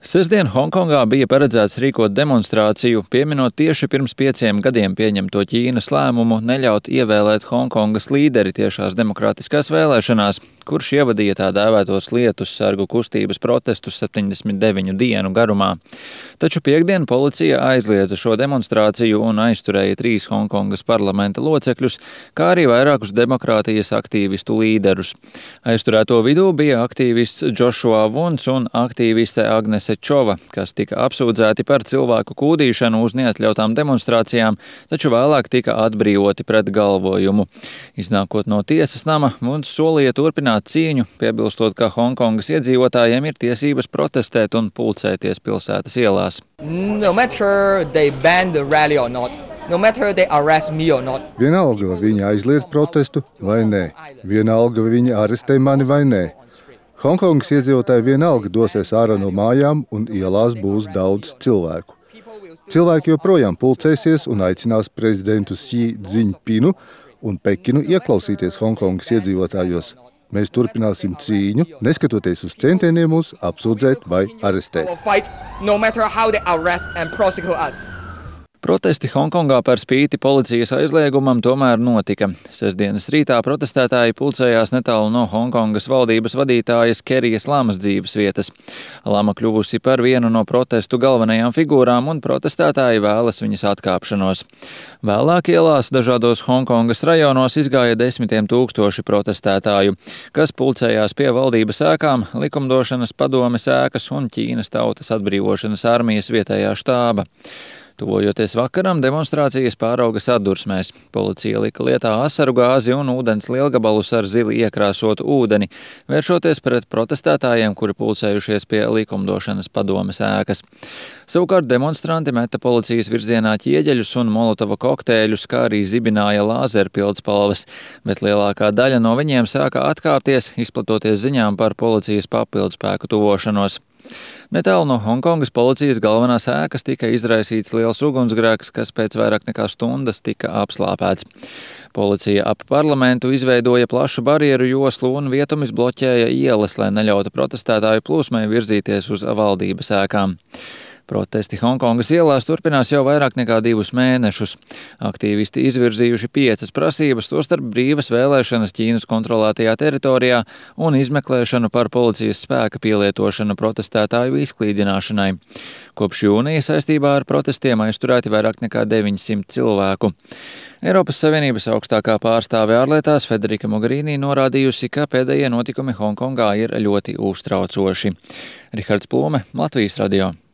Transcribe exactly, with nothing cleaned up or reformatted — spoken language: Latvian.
Sestdien Honkongā bija paredzēts rīkot demonstrāciju, pieminot tieši pirms pieciem gadiem pieņemto Ķīnas lēmumu neļaut ievēlēt Honkongas līderi tiešās demokrātiskās vēlēšanās, kurš ievadīja tā dēvētos lietus sargu kustības protestus septiņdesmit deviņu dienu garumā. Taču piektdien policija aizliedza šo demonstrāciju un aizturēja trīs Honkongas parlamenta locekļus, kā arī vairākus demokrātijas aktīvistu līderus. Aizturēto vidū bija aktīvists Džošua Vuns un aktīviste Agnese Čova, kas tika apsūdzēti par cilvēku kūdīšanu uz neatļautām demonstrācijām, taču vēlāk tika atbrīvoti pret galvojumu. Iznākot no tiesas nama, Vuns solīja turpināt cīņu, piebilstot, ka Honkongas iedzīvotājiem ir tiesības protestēt un pulcēties pilsētas ielās. No matter they ban the rally or not. No matter they arrest me or not. Vienalga, vai viņi aizliedz protestu vai nē. Vienalga, vai viņi arestē mani vai nē. Honkongas iedzīvotāji vienalga dosies ārā no mājām un ielās būs daudz cilvēku. Cilvēki joprojām pulcēsies un aicinās prezidentu Xi Dzinpinu un Pekinu ieklausīties Honkongas iedzīvotājos. Mēs turpināsim cīņu, neskatoties uz centieniem mūs apsūdzēt vai arestēt. Protesti Honkongā par spīti policijas aizliegumam tomēr notika. Sestdienas rītā protestētāji pulcējās netālu no Honkongas valdības vadītājas Kerijas Lamas dzīves vietas. Lama kļuvusi par vienu no protestu galvenajām figūrām un protestētāji vēlas viņas atkāpšanos. Vēlāk ielās dažādos Honkongas rajonos izgāja desmitiem tūkstoši protestētāju, kas pulcējās pie valdības ēkām, likumdošanas padomes ēkas un Ķīnas tautas atbrīvošanas armijas vietējā štāba. Tuvojoties vakaram, demonstrācijas pārauga sadursmēs. Policija lika lietā asaru gāzi un ūdens lielgabalus ar zili iekrāsotu ūdeni, vēršoties pret protestētājiem, kuri pulcējušies pie likumdošanas padomes ēkas. Savukārt demonstranti meta policijas virzienā ķieģeļus un molotova kokteļus, kā arī zibināja lāzeru pildspalvas, bet lielākā daļa no viņiem sāka atkāpties, izplatoties ziņām par policijas papildspēku tuvošanos. Netālu no Honkongas policijas galvenās ēkas tika izraisīts liels ugunsgrēks, kas pēc vairāk nekā stundas tika apslāpēts. Policija ap parlamentu izveidoja plašu barjeru joslu un vietumis bloķēja ielas, lai neļautu protestētāju plūsmai virzīties uz valdības ēkām. Protesti Honkongas ielās turpinās jau vairāk nekā divus mēnešus. Aktīvisti izvirzījuši piecas prasības, tostarp brīvas vēlēšanas Ķīnas kontrolētajā teritorijā un izmeklēšanu par policijas spēka pielietošanu protestētāju izklīdināšanai. Kopš jūnija saistībā ar protestiem aizturēti vairāk nekā deviņsimt cilvēku. Eiropas Savienības augstākā pārstāve ārlietās Federika Mogherini norādījusi, ka pēdējie notikumi Honkongā ir ļoti uztraucoši. Rihards Plūme, Latvijas radio.